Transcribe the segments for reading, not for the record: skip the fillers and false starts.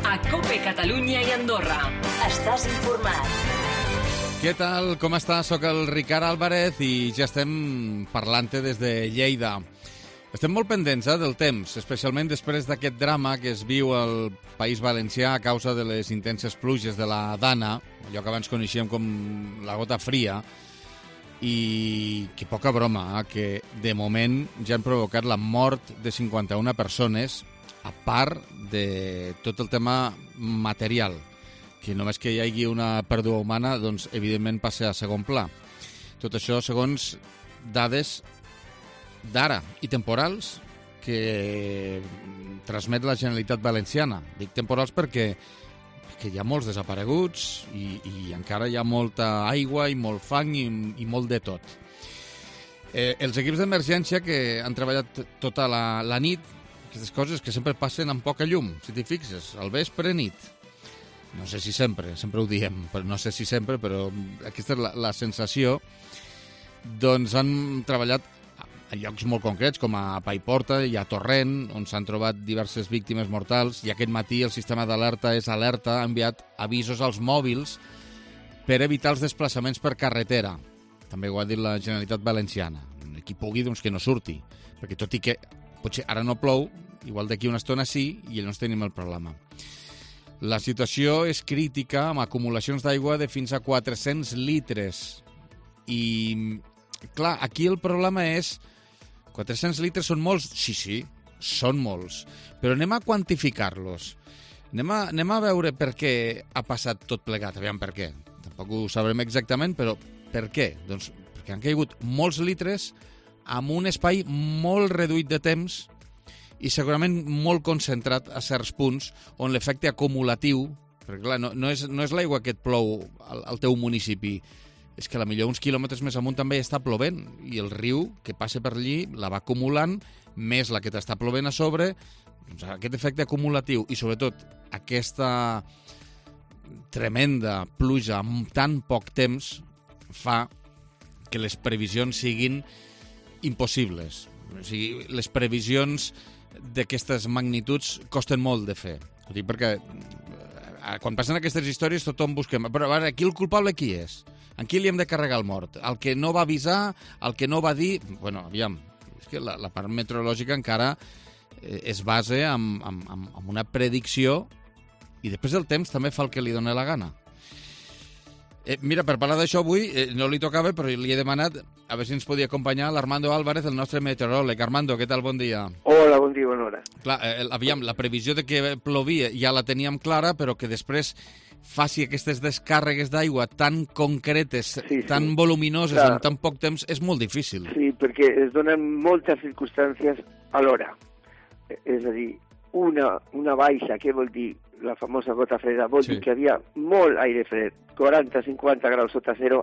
a COPE Catalunya i Andorra. Estàs informat. Què tal? Com estàs? Soc el Ricard Álvarez i ja estem parlant-te des de Lleida. Estem molt pendents del temps, especialment després d'aquest drama que es viu al País Valencià a causa de les intenses pluges de la Dana, allò que abans coneixíem com la gota fria, i que poca broma, que de moment ja han provocat la mort de 51 persones, a part de tot el tema material, que només que hi hagi una pèrdua humana, doncs evidentment passa a segon pla. Tot això segons dades d'ara i temporals que transmet la Generalitat Valenciana. Dic temporals perquè hi ha molts desapareguts i encara hi ha molta aigua i molt fang i molt de tot. Els equips d'emergència que han treballat tota la nit, aquestes coses que sempre passen amb poca llum, si t'hi fixes, al vespre nit. No sé si sempre ho diem, però no sé si sempre, però aquesta és la sensació. Doncs han treballat a llocs molt concrets, com a Paiporta i a Torrent, on s'han trobat diverses víctimes mortals, i aquest matí el sistema d'alerta és alerta, ha enviat avisos als mòbils per evitar els desplaçaments per carretera. També ho ha dit la Generalitat Valenciana. Qui pugui, doncs que no surti, perquè tot i que potser ara no plou, igual d'aquí una estona sí, i llavors tenim el problema. La situació és crítica, amb acumulacions d'aigua de fins a 400 litres. I, clar, aquí el problema és 400 litres són molts? Sí, són molts. Però anem a quantificar-los. Anem a veure per què ha passat tot plegat. Aviam per què. Tampoc ho sabrem exactament, però per què? Doncs perquè han caigut molts litres amb un espai molt reduït de temps i segurament molt concentrat a certs punts on l'efecte acumulatiu, perquè clar, no és l'aigua que et plou al teu municipi, és que potser uns quilòmetres més amunt també està plovent i el riu que passa per allí la va acumulant, més la que t'està plovent a sobre. Doncs aquest efecte acumulatiu i sobretot aquesta tremenda pluja amb tan poc temps fa que les previsions siguin impossibles. O sigui, les previsions d'aquestes magnituds costen molt de fer. Ho dic perquè quan passen aquestes històries tothom busquem. Però ara, aquí el culpable qui és? En qui li hem de carregar el mort? El que no va avisar? El que no va dir? Bueno, aviam, és que la part meteorològica encara es basa en una predicció i després el temps també fa el que li dona la gana. Mira, per parlar d'això avui, no li tocava, però li he demanat a veure si ens podia acompanyar l'Armando Álvarez, el nostre meteoròleg. Armando, què tal? Bon dia. Hola, bon dia, bona hora. Clar, aviam, la previsió de que plovia ja la teníem clara, però que després faci aquestes descàrregues d'aigua tan concretes, tan voluminoses, clar, en tan poc temps, és molt difícil. Sí, perquè es donen moltes circumstàncies alhora. És a dir, una baixa, què vol dir? La famosa gota freda, vol dir que hi havia molt aire fred, 40-50 graus sota zero,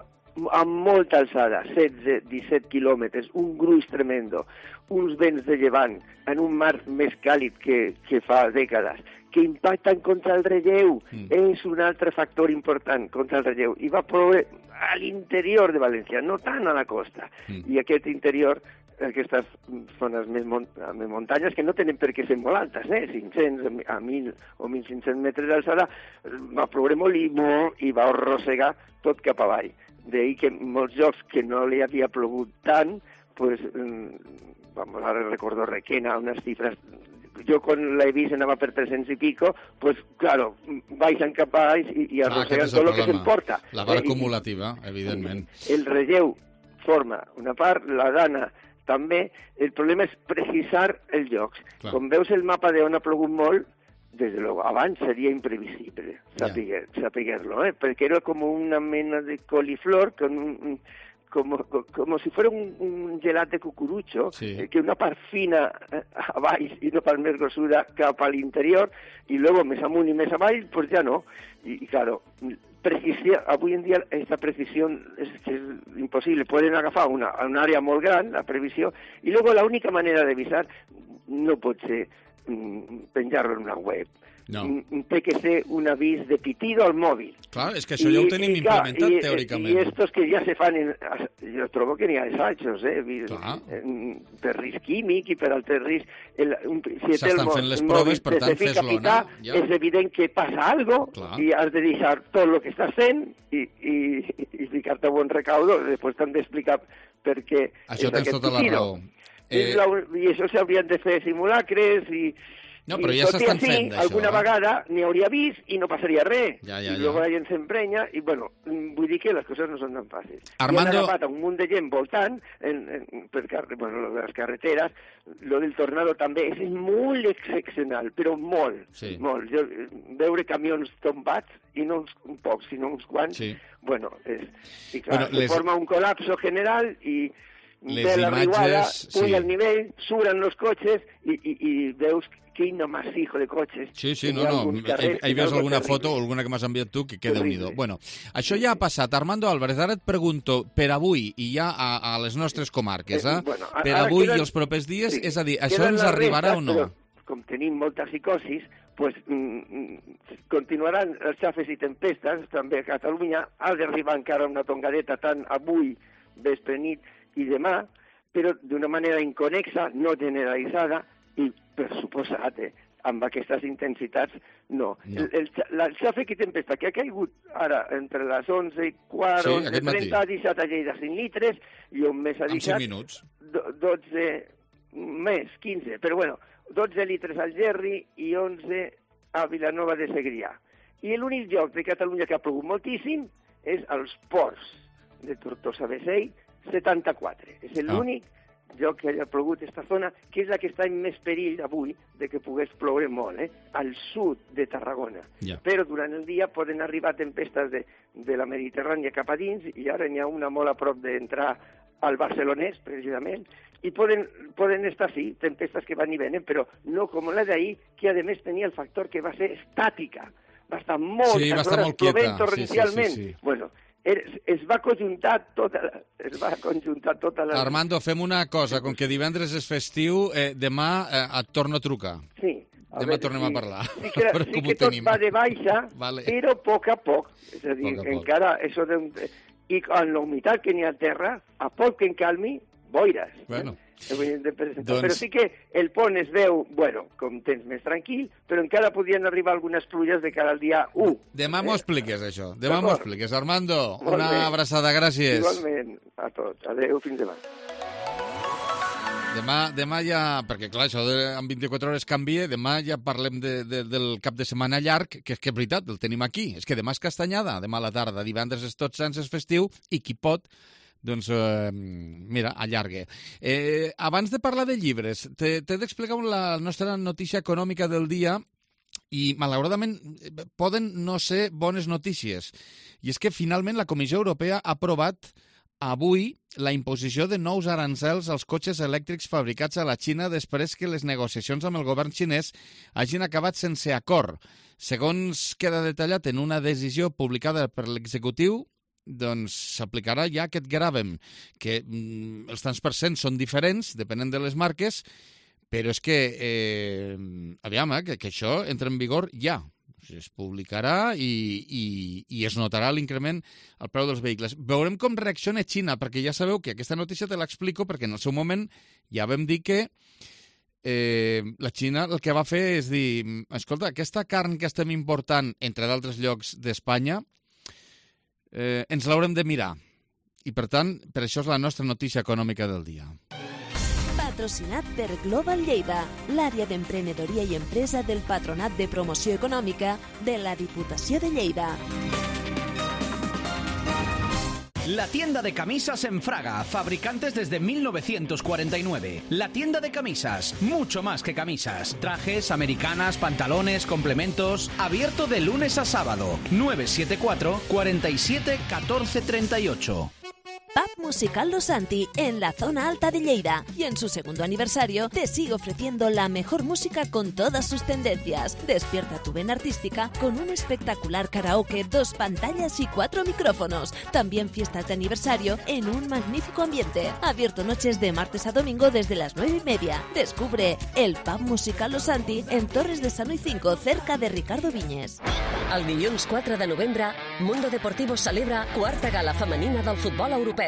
amb molta alçada, 16-17 quilòmetres, un gruix tremendo, uns vents de llevant en un mar més càlid que fa dècades, que impacten contra el relleu. És un altre factor important contra el relleu. I va ploure a l'interior de València, no tant a la costa. I aquest interior, aquestes zones més muntanyes, que no tenen per què ser molt altes, 500 a 1.000 o 1.500 metres d'alçada, va ploure molt i va arrossegar tot cap avall. D'ahir que molts llocs que no li havia plogut tant, pues, ara recordo Requena, unes xifres, jo quan l'he vist anava per 300 i pico, pues claro, baixen cap avall i arrosseguen tot el que s'emporta. La part acumulativa, evidentment. El relleu forma una part, la Dana també. El problema és precisar els llocs. Clar. Com veus el mapa d'on ha plogut molt, des de luego, abans seria imprevisible saber-lo, perquè era com una mena de coliflor, como si fuera un gelat de cucurucho, que una part fina a baix i una part més grossuda cap a l'interior, i luego més amunt i més avall, pues ja no. Y claro, avui en dia esta precisión es imposible. Pueden agafar una àrea molt gran, la previsió, i luego la única manera d'avisar no pot ser penjar-lo en una web. No. Té que ser un avís de pitido al mòbil. Clar, és que això ja ho tenim implementat teòricament. I estos que ja se fan, jo trobo que n'hi ha assajos, per risc químic i per altres riscs. Si s'estan fent les proves, per tant, fes-lo anar. És evident que passa alguna cosa i has de deixar tot el que estàs fent i ficar-te a bon recaudo. Després t'han d'explicar per què això tens tota la raó. I això s'haurien de fer simulacres i... No, però ja s'estan fent d'això. Alguna vegada n'hi hauria vist i no passaria res. I llavors la gent s'emprenya i, bueno, vull dir que les coses no són tan fàcils. Armando... I han agafat un munt de gent voltant per les carreteres. Lo del tornado també és molt excepcional, però molt. Molt. Veure camions tombats, i no uns pocs, sinó uns quants, bueno, i clar, se forma un col·lapso general i... Les imatges... puja el nivell, suren els cotxes i veus quin amasijo de cotxes. Sí, no. Hi veus alguna foto o alguna que m'has enviat tu que Déu-n'hi-do. Bueno, això ja ha passat. Armando Álvarez, ara et pregunto, per avui i ja a les nostres comarques, per avui i els propers dies, és a dir, això ens arribarà o no? Com tenim molta psicosis, pues continuaran els xafes i tempestes, també a Catalunya. Ha d'arribar encara una tongadeta tant avui, vespre, nit i demà, però d'una manera inconexa, no generalitzada, i per suposat, amb aquestes intensitats, no. El xàfec i tempesta que ha caigut ara entre les 11 i quart, 11:30, ha deixat a Lleida 5 litres, i on més ha deixat... En 5 minuts. 12, més, 15, però bueno, 12 litres al Gerri i 11 a Vilanova de Segrià. I l'únic lloc de Catalunya que ha plogut moltíssim és als ports de Tortosa-Beseit, 74. És l'únic lloc que hagi plogut aquesta zona, que és la que està en més perill avui de que pogués ploure molt, al sud de Tarragona. Però durant el dia poden arribar tempestes de la Mediterrània cap a dins, i ara n'hi ha una molt a prop d'entrar al Barcelonès, precisament, i poden estar, sí, tempestes que van i venen, però no com la d'ahir, que a més tenia el factor que va ser estàtica. Va estar moltes hores plovent torrencialment. Bueno, es va conjuntar tota la... Armando, fem una cosa, com que divendres és festiu, demà et torno a trucar. Sí. Demà tornem a parlar. Sí que tot va de baixa, però a poc a poc. És a dir, encara això de... I amb la humitat que n'hi ha a terra, a poc que encalmi, boires. Bueno. Però sí que el pont es veu, bueno, com temps més tranquil, però encara podien arribar algunes pluges de cara al dia 1. Demà m'ho expliques, això. Demà m'ho expliques. Armando, una abraçada, gràcies. Igualment, a tots. Adéu, fins demà. Demà ja, perquè clar, això en 24 hores canvia, demà ja parlem del cap de setmana llarg, que és que és veritat, el tenim aquí. És que demà és castanyada, demà a la tarda, divendres és Tots Sants, és festiu, i qui pot... Doncs, mira, allargue. Abans de parlar de llibres, t'he d'explicar la nostra notícia econòmica del dia i, malauradament, poden no ser bones notícies. I és que, finalment, la Comissió Europea ha aprovat avui la imposició de nous arancels als cotxes elèctrics fabricats a la Xina després que les negociacions amb el govern xinès hagin acabat sense acord. Segons queda detallat en una decisió publicada per l'executiu, doncs s'aplicarà ja aquest gravamen, que els tants percents són diferents, depenent de les marques, però és que, aviam, que això entra en vigor ja. Es publicarà i es notarà l'increment al preu dels vehicles. Veurem com reacciona Xina, perquè ja sabeu que aquesta notícia te l'explico, perquè en el seu moment ja vam dir que la Xina el que va fer és dir, escolta, aquesta carn que estem important, entre d'altres llocs d'Espanya, ens l'haurem de mirar. I, per tant, per això és la nostra notícia econòmica del dia. Patrocinat per Global Lleida, l'àrea d'emprenedoria i empresa del Patronat de Promoció Econòmica de la Diputació de Lleida. La tienda de camisas en Fraga, fabricantes desde 1949. La tienda de camisas, mucho más que camisas. Trajes, americanas, pantalones, complementos. Abierto de lunes a sábado. 974 47 14 38. Pub Musical Los Santi, en la zona alta de Lleida. Y en su segundo aniversario te sigue ofreciendo la mejor música con todas sus tendencias. Despierta tu vena artística con un espectacular karaoke, 2 pantallas y 4 micrófonos. También fiestas de aniversario en un magnífico ambiente. Abierto noches de martes a domingo desde las 9:30. Descubre el Pub Musical Los Santi en Torres de Sanui 5, cerca de Ricardo Viñes. El dilluns 4 de novembre, Mundo Deportivo celebra 4ª gala femenina del futbol europeu.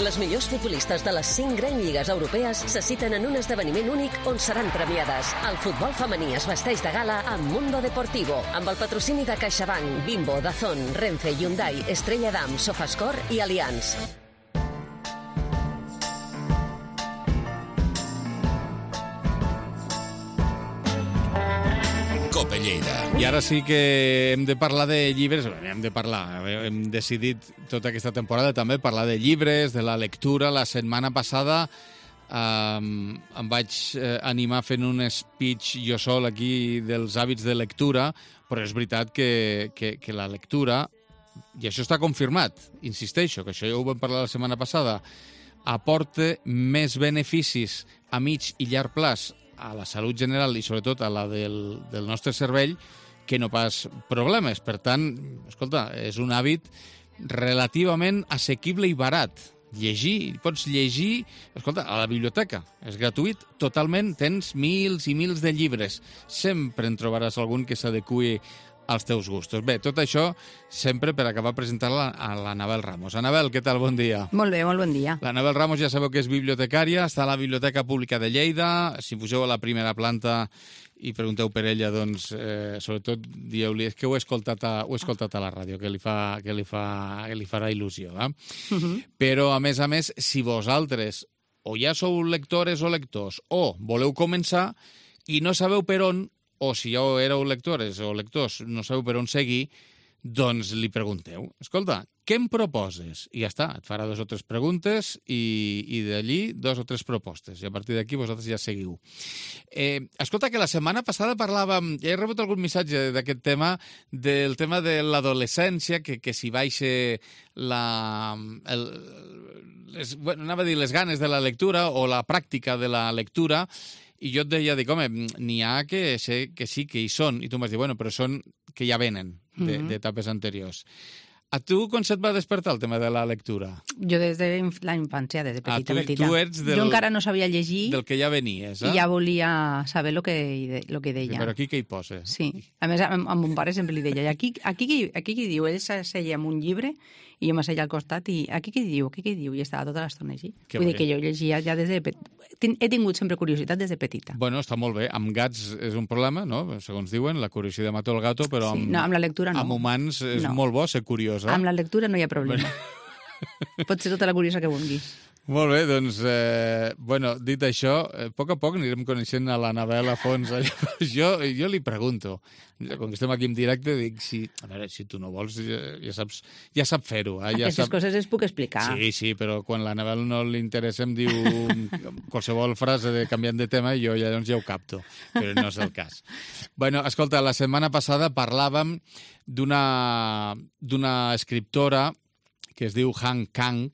Les millors futbolistes de les 5 grans lligues europees se citen en un esdeveniment únic on seran premiades. El futbol femení es vesteix de gala amb Mundo Deportivo, amb el patrocini de CaixaBank, Bimbo, Dazón, Renfe, Hyundai, Estrella Damm, Sofascor i Allianz. Cope Lleida. I ara sí que hem de parlar de llibres, hem decidit tota aquesta temporada també parlar de llibres, de la lectura. La setmana passada em vaig animar fent un speech jo sol aquí dels hàbits de lectura, però és veritat que la lectura, i això està confirmat, insisteixo, que això ja ho vam parlar la setmana passada, aporta més beneficis a mig i llarg plaç a la salut general i sobretot a la del nostre cervell que no pas problemes. Per tant, escolta, és un hàbit relativament assequible i barat. Llegir, pots llegir, escolta, a la biblioteca, és gratuït, totalment, tens mils i mils de llibres. Sempre en trobaràs algun que s'adeqüi als teus gustos. Bé, tot això sempre per acabar presentant-la a l'Anabel Ramos. Anabel, què tal? Bon dia. Molt bé, molt bon dia. L'Anabel Ramos ja sabeu que és bibliotecària, està a la Biblioteca Pública de Lleida. Si pugeu a la primera planta i pregunteu per ella, doncs, sobretot dieu-li que ho he escoltat a la ràdio, que li farà il·lusió. Però, a més, si vosaltres o ja sou lectores o lectors o voleu començar i no sabeu per on, o si ja éreu lectores o lectors, no sabeu per on seguir, doncs li pregunteu. Escolta, què em proposes? I ja està, et farà 2 o 3 preguntes i d'allí 2 o 3 propostes. I a partir d'aquí vosaltres ja seguiu. Escolta, que la setmana passada parlàvem, ja he rebut algun missatge d'aquest tema, del tema de l'adolescència, que si baixa anava a dir les ganes de la lectura o la pràctica de la lectura. I jo et deia, dic, home, n'hi ha que sé que sí que hi són. I tu em vas dir, bueno, però són que ja venen d'etapes anteriors. A tu com se't va despertar el tema de la lectura? Jo des de la infància, des de petita. Tu ets jo encara no sabia llegir. Del que ja venies, I ja volia saber el que deia. Sí, però aquí què hi posa? Sí. A més, a mon pare sempre li deia, aquí què diu? Ell s'asseia amb un llibre i jo m'asseia al costat i aquí què diu? I estava tota l'estona així. Vull dir que jo llegia ja des de petita. He tingut sempre curiositat des de petita. Bueno, està molt bé. Amb gats és un problema, no? Segons diuen, la curiositat mata el gato, però amb la lectura no. Amb humans és molt bo ser curiós. Amb la lectura no hi ha problema. Pot ser tota la curiosa que vulguis. Molt bé, doncs, dit això, a poc anirem coneixent a l'Anabel a fons. Jo li pregunto, quan estem aquí en directe, dic, a veure, si tu no vols, ja sap fer-ho. Aquestes coses les puc explicar. Sí, però quan l'Anabel no li interessa em diu qualsevol frase canviant de tema i jo llavors ja ho capto, però no és el cas. Bueno, escolta, la setmana passada parlàvem d'una escriptora que es diu Han Kang,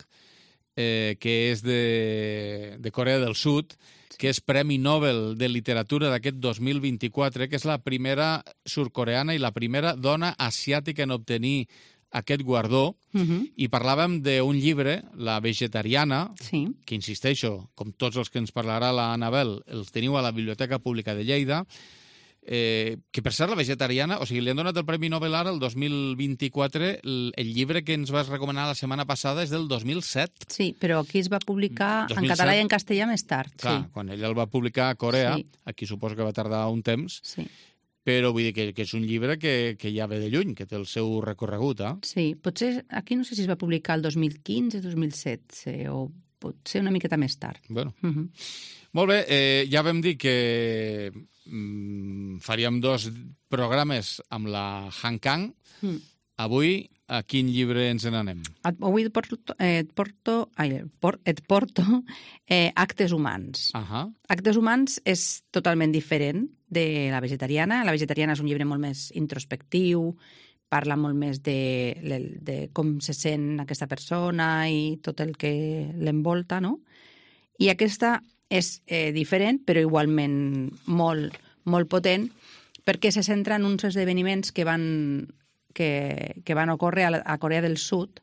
que és de Corea del Sud, que és Premi Nobel de Literatura d'aquest 2024, que és la primera surcoreana i la primera dona asiàtica en obtenir aquest guardó, i parlàvem d'un llibre, La vegetariana, que insisteixo, com tots els que ens parlarà l'Anabel, els teniu a la Biblioteca Pública de Lleida, que per ser La vegetariana, o sigui, li han donat el Premi Nobel ara, el 2024, el llibre que ens vas recomanar la setmana passada és del 2007. Sí, però aquí es va publicar en català i en castellà més tard. Clar, quan ell el va publicar a Corea, aquí suposo que va tardar un temps, però vull dir que és un llibre que ja ve de lluny, que té el seu recorregut. Sí, potser aquí no sé si es va publicar el 2015, 2017, o potser una miqueta més tard. Bueno. Molt bé, ja vam dir que faríem 2 programes amb la Han Kang. Avui, a quin llibre ens n'anem? Avui et porto Actes humans. Actes humans és totalment diferent de La vegetariana. La vegetariana és un llibre molt més introspectiu, parla molt més de com se sent aquesta persona i tot el que l'envolta, no? I aquesta és diferent, però igualment molt, molt potent, perquè se centra en uns esdeveniments que van ocórrer a Corea del Sud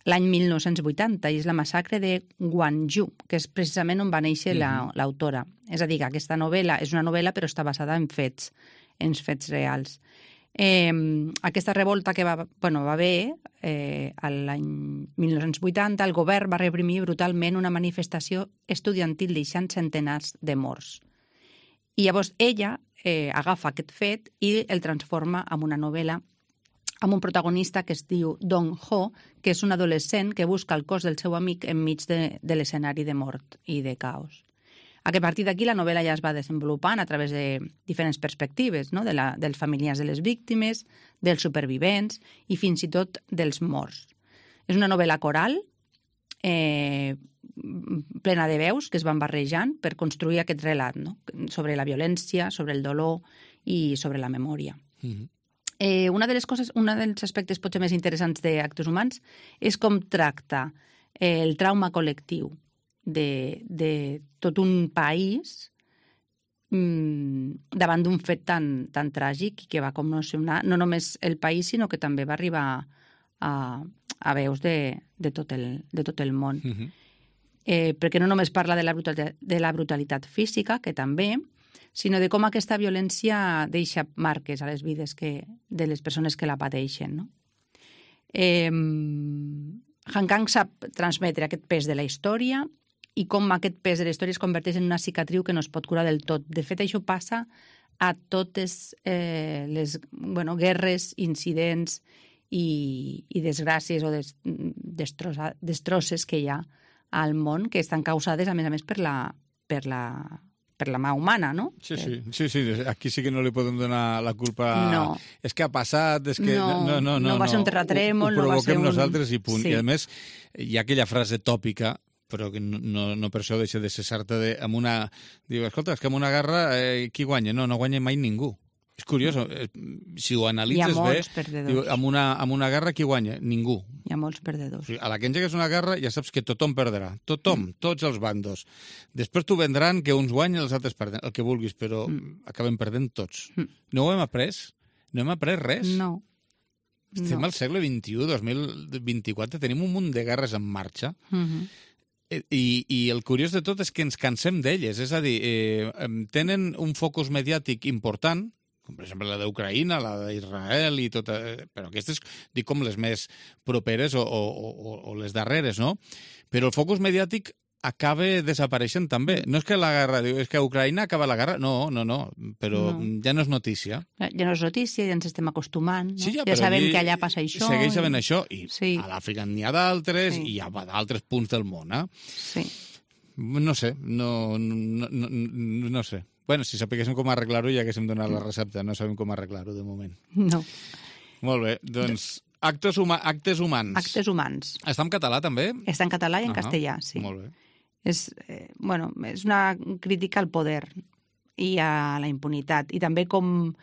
l'any 1980, i és la massacre de Gwangju, que és precisament on va néixer l'autora. És a dir, que aquesta novel·la és una novel·la però està basada en fets reals. Aquesta revolta que va haver l'any 1980, el govern va reprimir brutalment una manifestació estudiantil deixant centenars de morts. I llavors ella agafa aquest fet i el transforma en una novel·la amb un protagonista que es diu Dong-ho, que és un adolescent que busca el cos del seu amic enmig de l'escenari de mort i de caos. A partir d'aquí la novel·la ja es va desenvolupant a través de diferents perspectives, no? Dels familiars de les víctimes, dels supervivents i fins i tot dels morts. És una novel·la coral plena de veus que es van barrejant per construir aquest relat, no? Sobre la violència, sobre el dolor i sobre la memòria. Un dels aspectes potser més interessants d'Actes humans és com tracta el trauma col·lectiu de tot un país davant d'un fet tan tràgic que va commocionar no només el país, sinó que també va arribar a veus de tot el món. Perquè no només parla de la brutalitat física, que també, sinó de com aquesta violència deixa marques a les vides de les persones que la pateixen, no? Han Kang sap transmetre aquest pes de la història i com aquest pes de la història es converteix en una cicatriu que no es pot curar del tot. De fet, això passa a totes les guerres, incidents i desgràcies o destrosses que hi ha al món, que estan causades, a més, per la mà humana, no? Sí. Aquí sí que no li podem donar la culpa. No. És que ha passat, és que... No va ser un terratrèmol, no va ser un... Ho provoquem nosaltres i punt. Sí. I a més, hi ha aquella frase tòpica, però que no per això deixa de cessar-te amb una... Diu, escolta, és que amb una guerra qui guanya? No guanya mai ningú. És curiós, si ho analitzes bé, diu, amb una guerra qui guanya? Ningú. Hi ha molts perdedors. O sigui, a la que engegues una guerra ja saps que tothom perdrà. Tothom, tots els bandos. Després t'ho vendran que uns guanyen i els altres perden, el que vulguis, però acaben perdent tots. No ho hem après? No hem après res? No. Estem al segle XXI, 2024, tenim un munt de guerres en marxa. I el curiós de tot és que ens cansem d'elles. És a dir, tenen un focus mediàtic important, com per exemple la d'Ucraïna, la d'Israel i tot, però aquestes dic com les més properes o les darreres, no? Però el focus mediàtic acaba desapareixent també. No és que la guerra, és que a Ucraïna acaba la guerra, no, però ja no és notícia. Ja no és notícia, ja ens estem acostumant, no? Sí, ja sabem que allà passa això. Segueix havent això, i a l'Àfrica n'hi ha d'altres, i hi ha d'altres punts del món, Sí. No sé, no sé. Bueno, si sapiguéssim com arreglar-ho ja haguéssim donat la recepta, no sabem com arreglar-ho de moment. No. Molt bé, doncs Actes humans. Actes humans. Està en català també? Està en català i en castellà, sí. Molt bé. És una crítica al poder i a la impunitat, i també com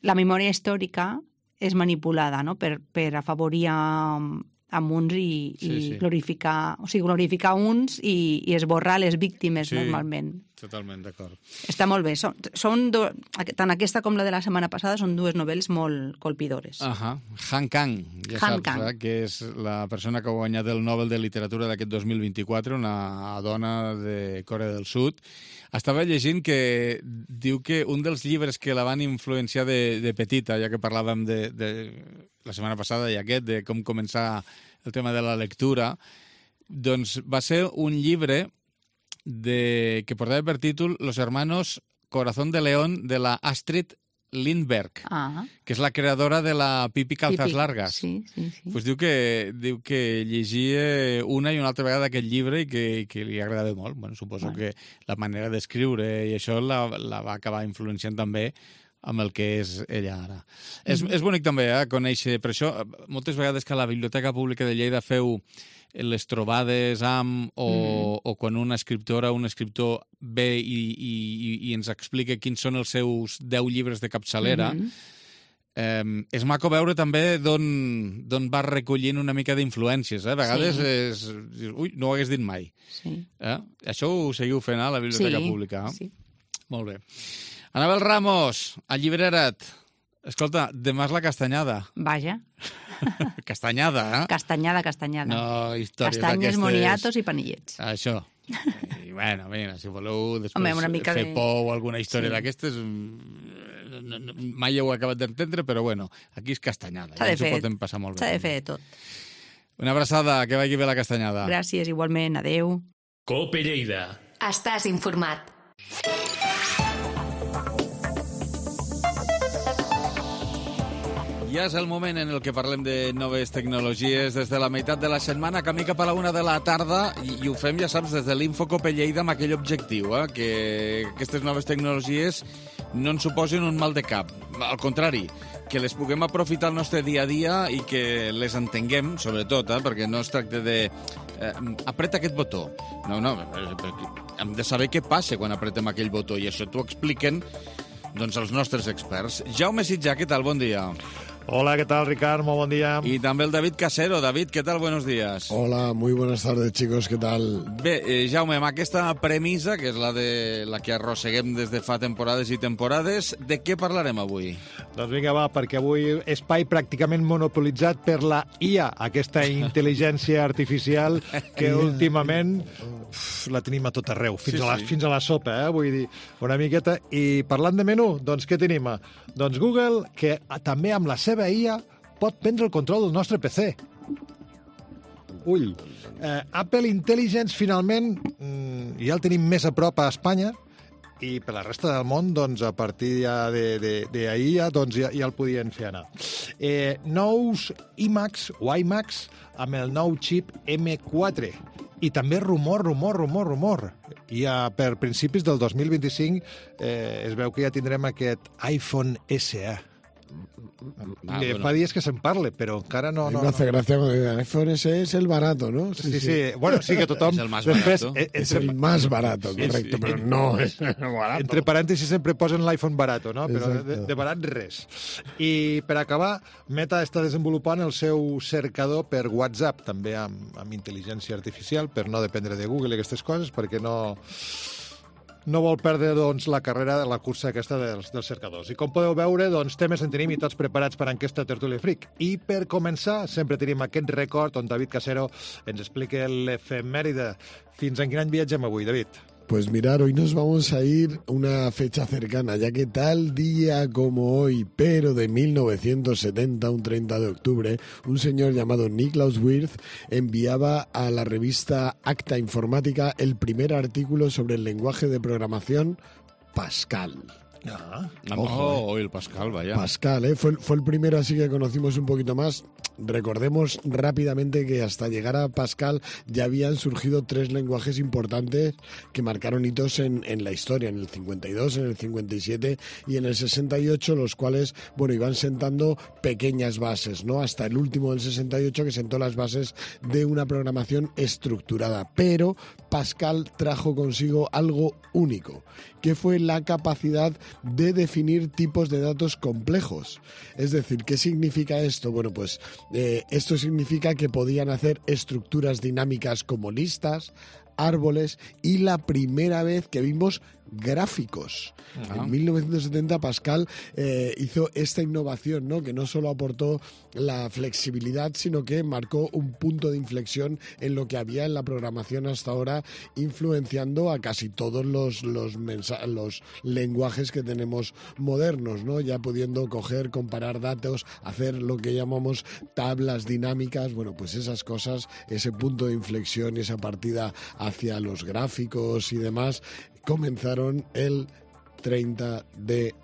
la memòria històrica és manipulada, no? per afavorir amb uns i glorificar uns i esborrar les víctimes normalment. Totalment, d'acord. Està molt bé. Tant aquesta com la de la setmana passada són dues novel·les molt colpidores. Han Kang, saps, que és la persona que ha guanyat el Nobel de Literatura d'aquest 2024, una dona de Corea del Sud. Estava llegint que diu que un dels llibres que la van influenciar de petita, ja que parlàvem de la setmana passada i de com començar el tema de la lectura, doncs va ser un llibre que portava per títol Los hermanos Corazón de León de la Astrid Lindberg, que és la creadora de la Pipi Calzas Largas. Sí. Pues diu que llegia una i una altra vegada aquest llibre i que li agradava molt. Bueno, suposo que la manera d'escriure i això la va acabar influenciant també amb el que és ella ara. És bonic també conèixer, per això moltes vegades que a la Biblioteca Pública de Lleida feu les trobades o quan una escriptora o un escriptor ve i ens explica quins són els seus 10 llibres de capçalera, És maco veure també d'on vas recollint una mica d'influències. A vegades és... Ui, no ho hagués dit mai. Sí. Això ho seguiu fent a la Biblioteca Pública. Sí. Molt bé. Anabel Ramos, allibera't. Escolta, demà és la castanyada. Vaja. Castanyada, eh? Castanyada. No, històries Castanyes, d'aquestes... moniatos i panillets. Això. I bueno, mira, si voleu després una mica fer por o alguna història d'aquestes, mai ho he acabat d'entendre, però bueno, aquí és castanyada. Ja ens ho podem passar molt bé. S'ha de fer de tot. Una abraçada, que vagi bé la castanyada. Gràcies, igualment. Adéu. Cope Lleida. Estàs informat. Ja és el moment en el que parlem de noves tecnologies des de la meitat de la setmana, camí cap a la 1 de la tarda, i ho fem, ja saps, des de l'Infocope Lleida amb aquell objectiu, que aquestes noves tecnologies no ens suposin un mal de cap. Al contrari, que les puguem aprofitar al nostre dia a dia i que les entenguem, sobretot, perquè no es tracta de... apreta aquest botó. No, hem de saber què passa quan apretem aquell botó, i això t'ho expliquen doncs, els nostres experts. Jaume Sitjà, què tal? Bon dia. Hola, ¿qué tal, Ricard? Muy buen día. Y también el David Casero. David, ¿qué tal? Buenos días. Hola, muy buenas tardes, chicos. ¿Qué tal? Bé, Jaume, amb aquesta premissa, que és la que arrosseguem des de fa temporades i temporades, de què parlarem avui? Doncs vinga, va, perquè avui espai pràcticament monopolitzat per la IA, aquesta intel·ligència artificial que últimament la tenim a tot arreu, fins a la sopa, vull dir, una miqueta. I parlant de menú, doncs què tenim? Doncs Google, que també amb la seva IA pot prendre el control del nostre PC. Ull. Apple Intelligence, finalment, ja el tenim més a prop a Espanya, i per la resta del món, doncs, a partir d'ahir, doncs, ja el podien fer anar. Nous iMacs o iMacs amb el nou xip M4. I també rumor. Ja per principis del 2025 es veu que ja tindrem aquest iPhone SE. Fa dies que se'n parla, però encara no... Me hace gracia cuando digan iPhone SE es el barato, ¿no? Sí. Bueno, sí que tothom... És el más barato. Es el más barato, correcto, però no és el barato. Entre parèntesis sempre posen l'iPhone barato, no? Però de barat res. I per acabar, Meta està desenvolupant el seu cercador per WhatsApp, també amb intel·ligència artificial, per no dependre de Google i aquestes coses, perquè no vol perdre doncs, la carrera de la cursa aquesta dels cercadors. I com podeu veure, doncs, temes en tenim i tots preparats per a aquesta tertúlia freak. I per començar, sempre tenim aquest record on David Casero ens explica l'efemèride. Fins en quin any viatgem avui, David? Pues mirar, hoy nos vamos a ir a una fecha cercana, ya que tal día como hoy, pero de 1970, un 30 de octubre, un señor llamado Niklaus Wirth enviaba a la revista Acta Informática el primer artículo sobre el lenguaje de programación Pascal. Ojo, el Pascal, vaya. Pascal, fue el primero así que conocimos un poquito más. Recordemos rápidamente que hasta llegar a Pascal ya habían surgido 3 lenguajes importantes que marcaron hitos en la historia, en el 52, en el 57 y en el 68, los cuales, bueno, iban sentando pequeñas bases, ¿no? Hasta el último del 68 que sentó las bases de una programación estructurada. Pero Pascal trajo consigo algo único, que fue la capacidad de definir tipos de datos complejos. Es decir, ¿qué significa esto? Bueno, pues esto significa que podían hacer estructuras dinámicas como listas, árboles y la primera vez que vimos gráficos. En 1970 Pascal hizo esta innovación, ¿no? Que no solo aportó la flexibilidad, sino que marcó un punto de inflexión en lo que había en la programación hasta ahora, influenciando a casi todos los lenguajes que tenemos modernos, ¿no? Ya pudiendo coger, comparar datos, hacer lo que llamamos tablas dinámicas, bueno, pues esas cosas, ese punto de inflexión y esa partida hacia los gráficos y demás, comenzaron el 30 de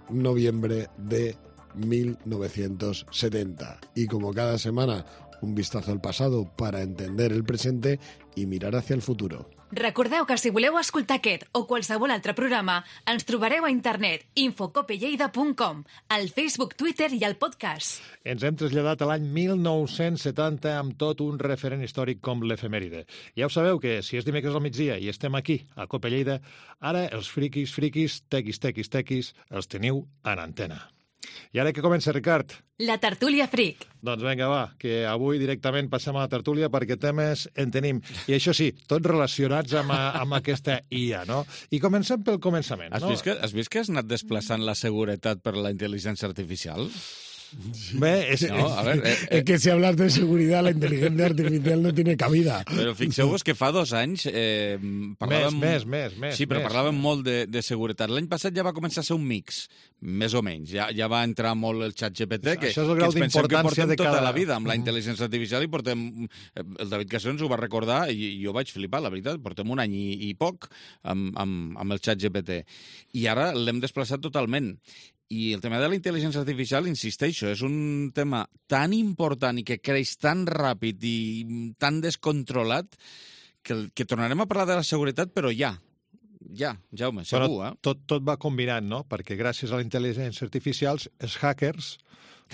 noviembre de 1970. Y como cada semana, un vistazo al pasado para entender el presente i mirar hacia el futuro. Recordeu que si voleu escoltar aquest o qualsevol altre programa, ens trobareu a internet infocopelleida.com, al Facebook, Twitter i al podcast. Ens hem traslladat a l'any 1970 amb tot un referent històric com l'efemèride. Ja ho sabeu que si és dimecres al migdia i estem aquí, a Cope Lleida, ara els friquis, tequis, els teniu en antena. I ara què comença, Ricard? La tertúlia Freak. Doncs vinga, va, que avui directament passem a la tertúlia perquè temes en tenim. I això sí, tots relacionats amb aquesta IA, no? I comencem pel començament, no? Has vist que has anat desplaçant la seguretat per la intel·ligència artificial? Bé, es que si hablas de seguridad, la inteligencia artificial no tiene cabida. Però fixeu-vos que fa 2 anys parlàvem... Més. Sí, però parlàvem molt de seguretat. L'any passat ja va començar a ser un mix, més o menys. Ja va entrar molt el xat GPT, que ens pensem que portem tota la vida amb la intel·ligència artificial i portem... El David Casero ens ho va recordar i jo vaig flipar, la veritat. Portem un any i poc amb el xat GPT. I ara l'hem desplaçat totalment. I el tema de la intel·ligència artificial, insisteixo, és un tema tan important i que creix tan ràpid i tan descontrolat que tornarem a parlar de la seguretat, però ja, Jaume, segur, Tot va combinant, no? Perquè gràcies a la intel·ligència artificial, els hackers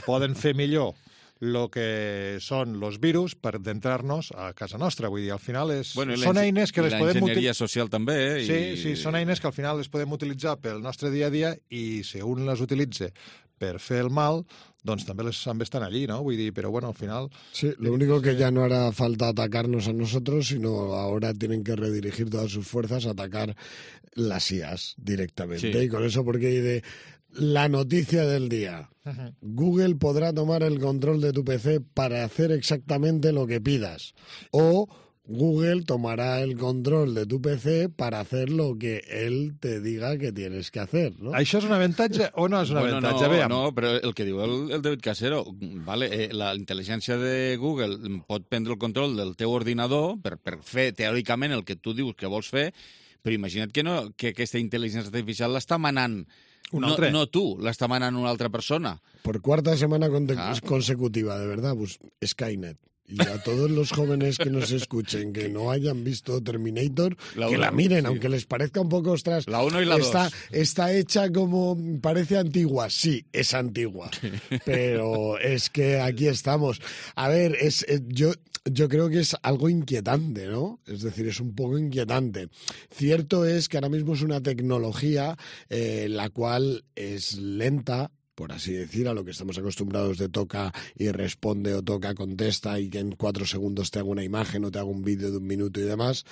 poden fer millor el que són els virus per d'entrar-nos a casa nostra. Vull dir, al final són eines que les podem utilitzar... L'enginyeria social també, Sí, són eines que al final les podem utilitzar pel nostre dia a dia i si un les utilitza per fer el mal, doncs també estan allí, ¿no? Vull dir, però bueno, al final... Sí, lo único que ya no hará falta atacarnos a nosotros, sino ahora tienen que redirigir todas sus fuerzas a atacar las IAs directamente. Sí. Y con eso, porque la noticia del día. Google podrá tomar el control de tu PC para hacer exactamente lo que pidas. O Google tomará el control de tu PC para hacer lo que él te diga que tienes que hacer, ¿no? ¿Això és un avantatge o no és un avantatge? No, però el que diu el David Casero, la intel·ligència de Google pot prendre el control del teu ordinador per fer teòricament el que tu dius que vols fer, però imagina't que aquesta intel·ligència artificial l'està manant no tú, l'està manant una altra persona. Por cuarta semana consecutiva, de verdad, pues Skynet. Y a todos los jóvenes que nos escuchen, que no hayan visto Terminator, que la miren, aunque les parezca un poco, ostras, la 1 y la 2. Está hecha como, parece antigua. Sí, es antigua, pero es que aquí estamos. A ver, yo creo que es algo inquietante, ¿no? Es decir, es un poco inquietante. Cierto es que ahora mismo es una tecnología la cual es lenta, por así decir, a lo que estamos acostumbrados de toca y responde o toca, contesta y que en 4 segundos te haga una imagen o te haga un vídeo de 1 minuto y demás.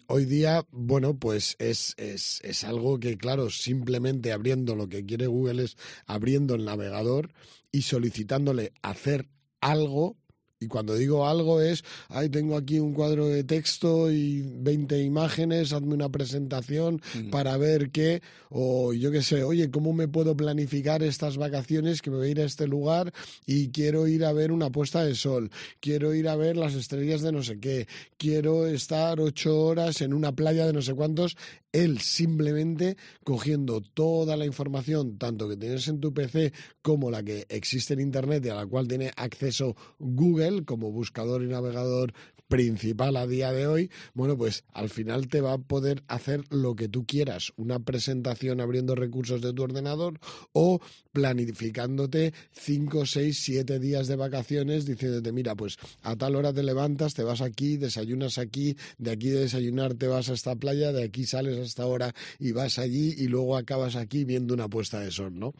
Hoy día, bueno, pues es algo que, claro, simplemente abriendo lo que quiere Google es abriendo el navegador y solicitándole hacer algo. Y cuando digo algo es, tengo aquí un cuadro de texto y 20 imágenes, hazme una presentación para ver qué, o yo qué sé, oye, ¿cómo me puedo planificar estas vacaciones que me voy a ir a este lugar y quiero ir a ver una puesta de sol, quiero ir a ver las estrellas de no sé qué, quiero estar 8 horas en una playa de no sé cuántos? Él simplemente cogiendo toda la información, tanto que tienes en tu PC como la que existe en Internet y a la cual tiene acceso Google como buscador y navegador principal a día de hoy, bueno, pues al final te va a poder hacer lo que tú quieras, una presentación abriendo recursos de tu ordenador o planificándote 5, 6, 7 días de vacaciones diciéndote, mira, pues a tal hora te levantas, te vas aquí, desayunas aquí, de aquí de desayunar te vas a esta playa, de aquí sales a esta hora y vas allí y luego acabas aquí viendo una puesta de sol, ¿no?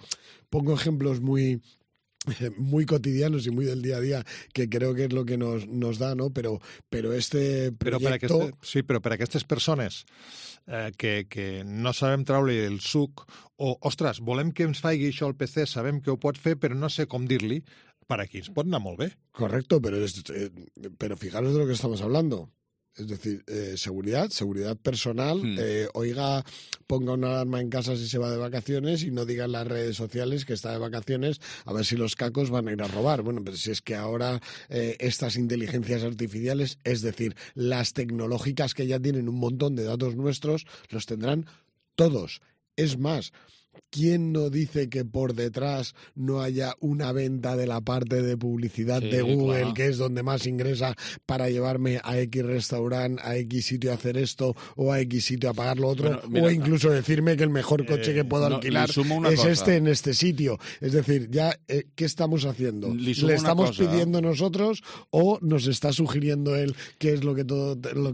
Pongo ejemplos muy cotidianos y muy del día a día, que creo que és lo que nos da, no? Però este proyecto... Però per a aquestes persones que no sabem treure el suc o, ostres, volem que ens faci això al PC, sabem que ho pot fer, però no sé com dir-li, per aquí ens pot anar molt bé. Correcto, pero fijaros de lo que estamos hablando. Es decir, seguridad personal, oiga, ponga una alarma en casa si se va de vacaciones y no diga en las redes sociales que está de vacaciones a ver si los cacos van a ir a robar. Bueno, pero si es que ahora estas inteligencias artificiales, es decir, las tecnológicas que ya tienen un montón de datos nuestros, los tendrán todos. Es más, ¿quién no dice que por detrás no haya una venta de la parte de publicidad de Google, claro, que es donde más ingresa para llevarme a X restaurante, a X sitio a hacer esto o a X sitio a pagar lo otro? Bueno, mira, o incluso decirme que el mejor coche que puedo alquilar es este en este sitio. Es decir, ya, ¿qué estamos haciendo? ¿Le estamos pidiendo nosotros o nos está sugiriendo él qué es lo que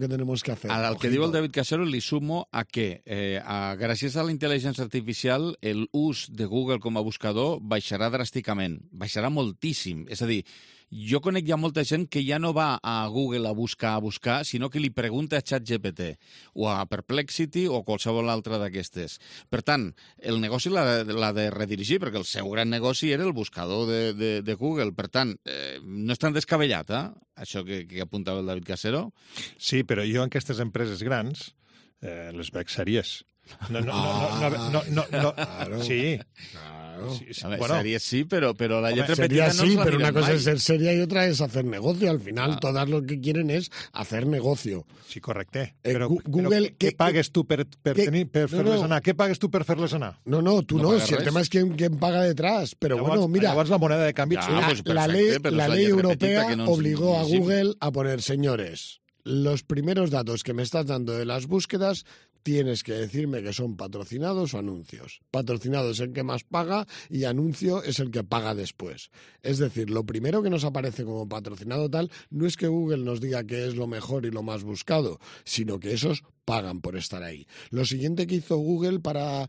tenemos que hacer? Al que diu el David Casero li sumo a que gràcies a la intel·ligència artificial final l'ús de Google com a buscador baixarà dràsticament, baixarà moltíssim. És a dir, jo conec ja molta gent que ja no va a Google a buscar, sinó que li pregunta a ChatGPT o a Perplexity o qualsevol altra d'aquestes. Per tant, el negoci l'ha de redirigir, perquè el seu gran negoci era el buscador de Google. Per tant, no és tan descabellat, això que apuntava el David Casero. Sí, però jo en aquestes empreses grans les veig sèries. No. Sí. Sí, bueno, sería sí, pero la letra sería petita no sí, nos pero una cosa mal. es ser seria y otra es hacer negocio. Al final, todas lo que quieren es hacer negocio. Sí, correcte. Google, què pagues tu per fer-les anar? Què pagues tu per fer-les anar? No, tú no. Si el tema es quién paga detrás. Pero bueno, mira... Llavors la moneda de canvi... La ley europea obligó a Google a poner, señores, los primeros datos que me estás dando de las búsquedas tienes que decirme que son patrocinados o anuncios. Patrocinado es el que más paga y anuncio es el que paga después. Es decir, lo primero que nos aparece como patrocinado tal no es que Google nos diga que es lo mejor y lo más buscado, sino que esos pagan por estar ahí. Lo siguiente que hizo Google para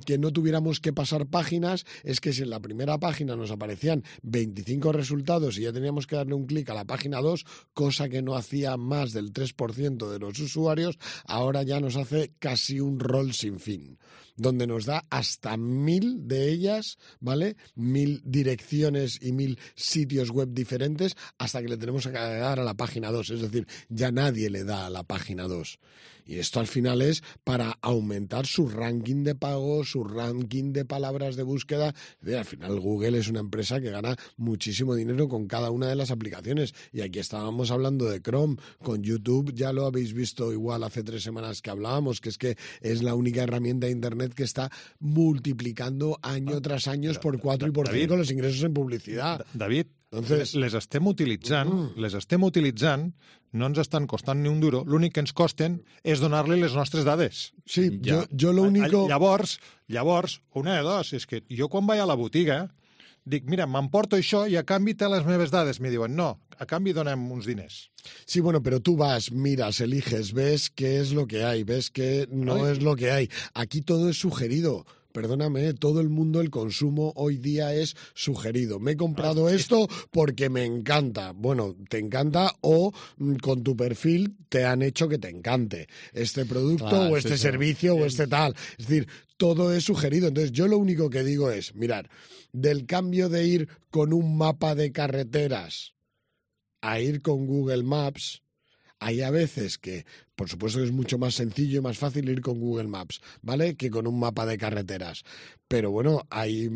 que no tuviéramos que pasar páginas es que si en la primera página nos aparecían 25 resultados y ya teníamos que darle un clic a la página 2, cosa que no hacía más del 3% de los usuarios, ahora ya nos hace casi un rol sin fin, donde nos da hasta 1000 de ellas, ¿vale? 1000 direcciones y 1000 sitios web diferentes hasta que le tenemos que dar a la página 2. Es decir, ya nadie le da a la página 2. Y esto al final es para aumentar su ranking de pago, su ranking de palabras de búsqueda. Al final Google es una empresa que gana muchísimo dinero con cada una de las aplicaciones. Y aquí estábamos hablando de Chrome. Con YouTube ya lo habéis visto igual hace 3 semanas que hablábamos, que es la única herramienta de Internet que está multiplicando año tras año por 4 y por 5 los ingressos en publicidad. David, entonces, les estem utilitzant, no ens estan costant ni un duro, l'únic que ens costen és donar-li les nostres dades. Sí, jo lo único... Llavors, una de dos, és que jo quan vaig a la botiga dic, mira, m'emporto això i a canvi té les meves dades. Me diuen, no, a canvi donem uns diners. Sí, bueno, pero tú vas, miras, eliges, ves qué es lo que hay, ves que no es lo que hay. Aquí todo es sugerido. Perdóname, todo el mundo, el consumo hoy día es sugerido. Me he comprado esto porque me encanta. Bueno, te encanta o con tu perfil te han hecho que te encante este producto o este servicio o este tal. Es decir, todo es sugerido. Entonces, yo lo único que digo es, mirad, del cambio de ir con un mapa de carreteras a ir con Google Maps, hay a veces que, por supuesto que es mucho más sencillo y más fácil ir con Google Maps, ¿vale?, que con un mapa de carreteras. Pero bueno, ahí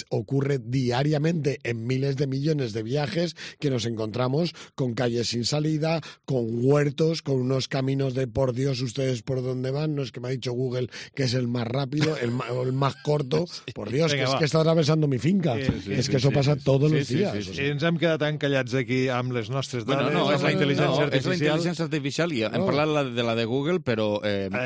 ocurre diariamente en miles de millones de viajes que nos encontramos con calles sin salida, con huertos, con unos caminos de por Dios, ustedes por dónde van. No es que me ha dicho Google que es el más rápido, el más corto. Por Dios, Vinga, que és que està atravessant mi finca. És que això passa tots els dies. O sigui, ens hem quedat encallats aquí amb les nostres dades, és la intel·ligència artificial. És la intel·ligència artificial i hem parlat de la de Google, però...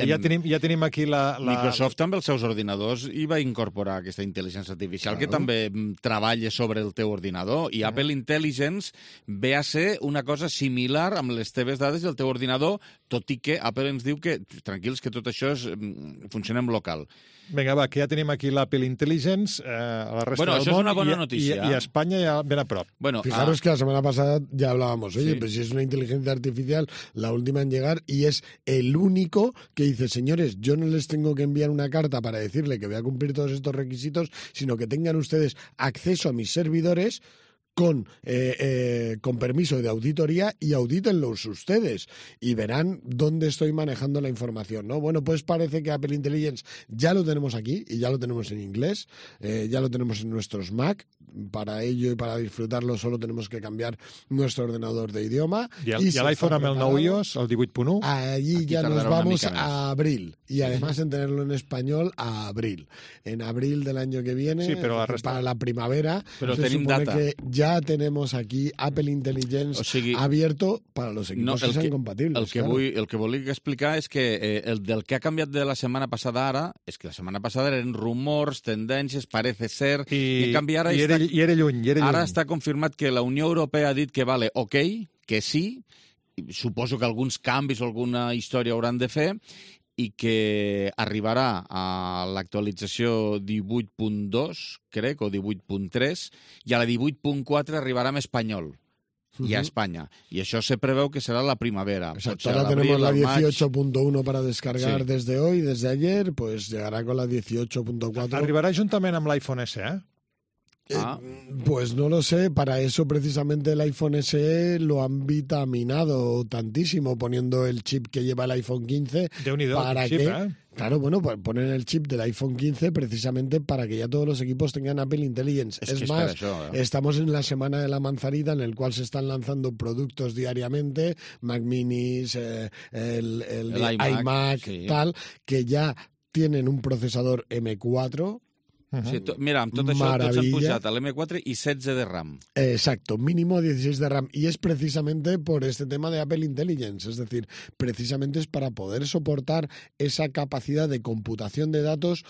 Ja tenim aquí la... Microsoft amb els seus ordinadors hi va incorporar aquesta intel·ligència artificial que també treballa sobre el teu ordinador, i Apple Intelligence ve a ser una cosa similar amb les teves dades del teu ordinador, tot i que Apple ens diu que, tranquils, que tot això funciona en local. Vinga, va, que ja tenim aquí l'Apple Intelligence a la resta del món. Això és una bona notícia. I a Espanya ja ben a prop. Fijaros que la semana pasada ya hablábamos, oye, pues si es una inteligencia artificial, la última en llegar, y es el único que dice, señores, yo no les tengo que enviar una carta para decirle que voy a cumplir todos estos requisitos, sino que tengan ustedes acceso a mis servidores con permiso de auditoría y audítenlos ustedes y verán dónde estoy manejando la información, ¿no? Bueno, pues parece que Apple Intelligence ya lo tenemos aquí y ya lo tenemos en inglés, ya lo tenemos en nuestros Mac. Para ello y para disfrutarlo solo tenemos que cambiar nuestro ordenador de idioma. I l'iPhone amb el nou iOS, el 18.1? Allí ya nos vamos a abril. Y además en tenerlo en español a abril. En abril del año que viene, sí, pero para la primavera, pero se supone data. Que ya tenemos aquí Apple Intelligence abierto para los equipos que sean compatibles. El que volia explicar és que del que ha canviat de la setmana passada ara, és que la setmana passada eren rumors, tendències, parece ser, i en canvi ara era lluny. Ara està confirmat que la Unió Europea ha dit que vale, ok, que sí, suposo que alguns canvis o alguna història hauran de fer, i que arribarà a l'actualització 18.2, crec, o 18.3, i a la 18.4 arribarà amb espanyol. Y a España. Y eso se prevé que será la primavera. Exacto, ahora tenemos la 18.1 para descargar desde hoy, desde ayer, pues llegará con la 18.4. Arribarà juntament amb l'iPhone SE, Pues no lo sé, para eso precisamente el iPhone SE lo han vitaminado tantísimo poniendo el chip que lleva el iPhone 15 para chip, que... Claro, bueno, pues ponen el chip del iPhone 15 precisamente para que ya todos los equipos tengan Apple Intelligence. Es más, estamos en la semana de la manzanita en el cual se están lanzando productos diariamente, Mac Minis, el iMac, tal, que ya tienen un procesador M4. Sí, mira, amb tot això tots han pujat a l'M4 i 16 de RAM. Exacto, mínimo 16 de RAM. Y es precisamente por este tema de Apple Intelligence. Es decir, precisamente es para poder soportar esa capacidad de computación de datos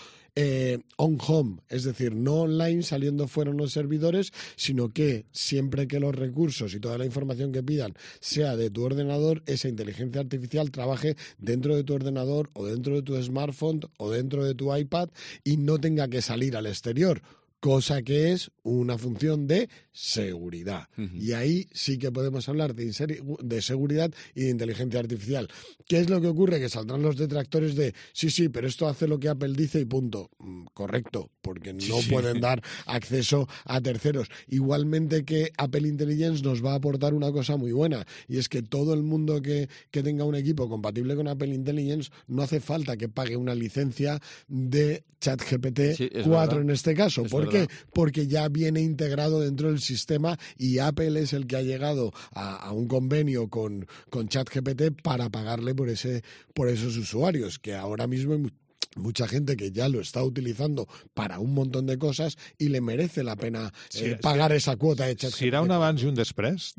on-home, es decir, no online saliendo fuera los servidores, sino que siempre que los recursos y toda la información que pidan sea de tu ordenador, esa inteligencia artificial trabaje dentro de tu ordenador o dentro de tu smartphone o dentro de tu iPad y no tenga que salir al exterior. Cosa que es una función de seguridad. Y ahí sí que podemos hablar de seguridad y de inteligencia artificial. ¿Qué es lo que ocurre? Que saldrán los detractores de sí, pero esto hace lo que Apple dice y punto. Correcto, porque no pueden dar acceso a terceros. Igualmente que Apple Intelligence nos va a aportar una cosa muy buena, y es que todo el mundo que tenga un equipo compatible con Apple Intelligence no hace falta que pague una licencia de ChatGPT 4 en este caso. ¿Por qué? Porque ya viene integrado dentro del sistema y Apple es el que ha llegado a un convenio con ChatGPT para pagarle por esos usuarios, que ahora mismo hay mucha gente que ya lo está utilizando para un montón de cosas y le merece la pena pagar esa cuota de ChatGPT. Serà un abans i un després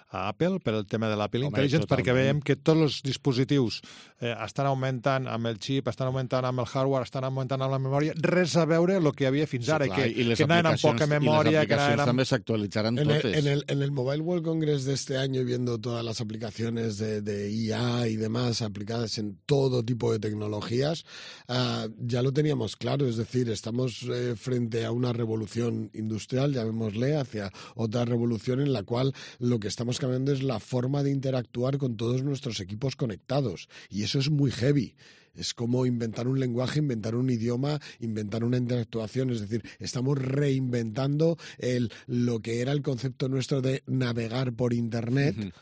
a Apple per el tema de l'Apple Intelligence, perquè veiem que tots els dispositius estan augmentant amb el xip, estan augmentant amb el hardware, estan augmentant amb la memòria, res a veure el que havia fins ara, que anaven amb poca memòria. I les aplicacions també s'actualitzaran totes. En el Mobile World Congress de este año, viendo todas las aplicaciones de IA y demás aplicadas en todo tipo de tecnologías, ya lo teníamos claro, es decir, estamos frente a una revolución industrial, llamémosle, hacia otra revolución en la cual lo que estamos cambiando es la forma de interactuar con todos nuestros equipos conectados, y eso es muy heavy. Es como inventar un lenguaje, inventar un idioma, inventar una interactuación. Es decir, estamos reinventando lo que era el concepto nuestro de navegar por Internet,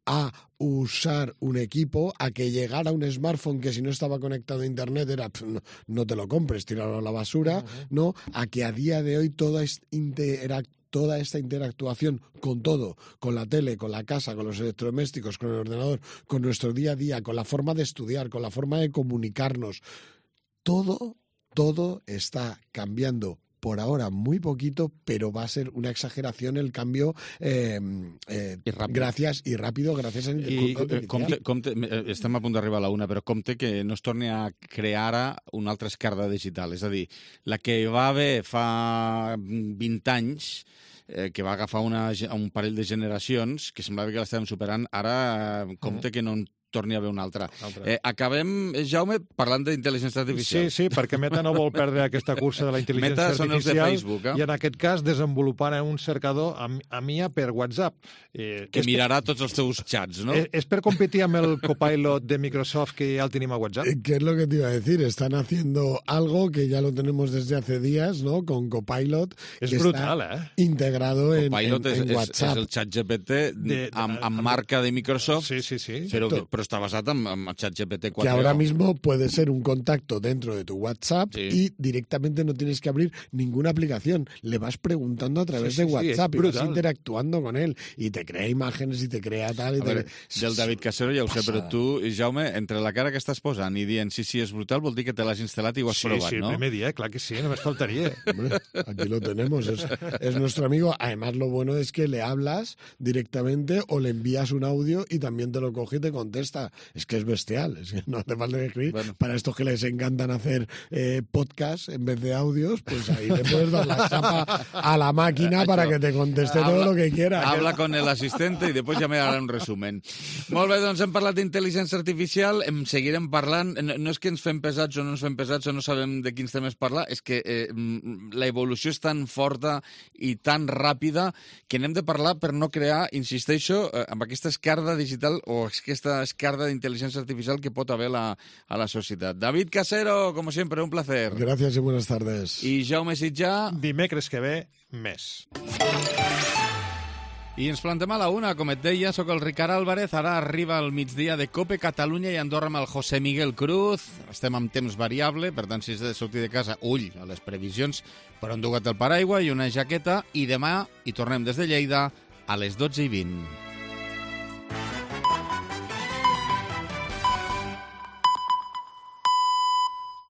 a usar un equipo, a que llegara un smartphone que si no estaba conectado a Internet era no te lo compres, tíralo a la basura, ¿no? A que a día de hoy toda esta interactuación con todo, con la tele, con la casa, con los electrodomésticos, con el ordenador, con nuestro día a día, con la forma de estudiar, con la forma de comunicarnos, todo está cambiando. Por ahora muy poquito, pero va a ser una exageración el cambio gracias a compte, estem a punt d'arribar a la una, però compte que no es torni a crear ara una altra esquerda digital. És a dir, la que va haver fa 20 anys, que va agafar un parell de generacions, que semblava que l'estàvem superant, ara compte que no en torni a haver una altra. Acabem, Jaume, parlant d'intel·ligència artificial. Sí, perquè Meta no vol perdre aquesta cursa de la intel·ligència artificial. Meta són els de Facebook, I en aquest cas desenvolupant un cercador a MIA per WhatsApp. Que mirarà tots els teus chats, ¿no? És per competir amb el Copilot de Microsoft que ya el tenim a WhatsApp. ¿Qué es lo que te iba a decir? Están haciendo algo que ya lo tenemos desde hace días, ¿no? Con Copilot. És brutal, integrado en WhatsApp. És el ChatGPT amb marca de Microsoft. Sí. Però está basado en ChatGPT 4. Que ahora mismo puede ser un contacto dentro de tu WhatsApp y directamente no tienes que abrir ninguna aplicación. Le vas preguntando a través de WhatsApp y vas interactuando con él y te crea imágenes y te crea tal. Del David Casero ja ho sé, però tu, Jaume, entre la cara que estàs posant i dient sí, és brutal, vol dir que te l'has instal·lat i ho has provat, ¿no? Sí, el primer dia, clar que sí, només faltaria. Hombre, aquí lo tenemos, es nuestro amigo. Además, lo bueno es que le hablas directamente o le envías un audio y también te lo coge y te contesta. esta, es que es bestial, es que no hace falta escribir. Bueno. Para estos que les encantan hacer podcast en vez de audios, pues ahí le puedes dar la chapa a la máquina para que te conteste todo lo que quiera. Habla con el asistente i després ja me harà un resumen. Molt bé, doncs hem parlat d'intel·ligència artificial, en seguirem parlant. No és que ens fem pesats o no ens fem pesats o no sabem de quins temes parlar, és que la evolució és tan forta i tan ràpida que n'hem de parlar per no crear, insisteixo, amb aquesta esquerda digital o aquesta esquerda d'intel·ligència artificial que pot haver a la societat. David Casero, como siempre, un placer. Gracias y buenas tardes. I Jaume Sitjà. Dimecres que ve, més. I ens plantem a la una, com et deia, sóc el Ricard Álvarez, ara arriba el migdia de COPE Catalunya i Andorra amb el José Miguel Cruz. Estem amb temps variable, per tant, si has de sortir de casa, ull a les previsions, però enduga't el paraigua i una jaqueta, i demà hi tornem des de Lleida a les 12:20.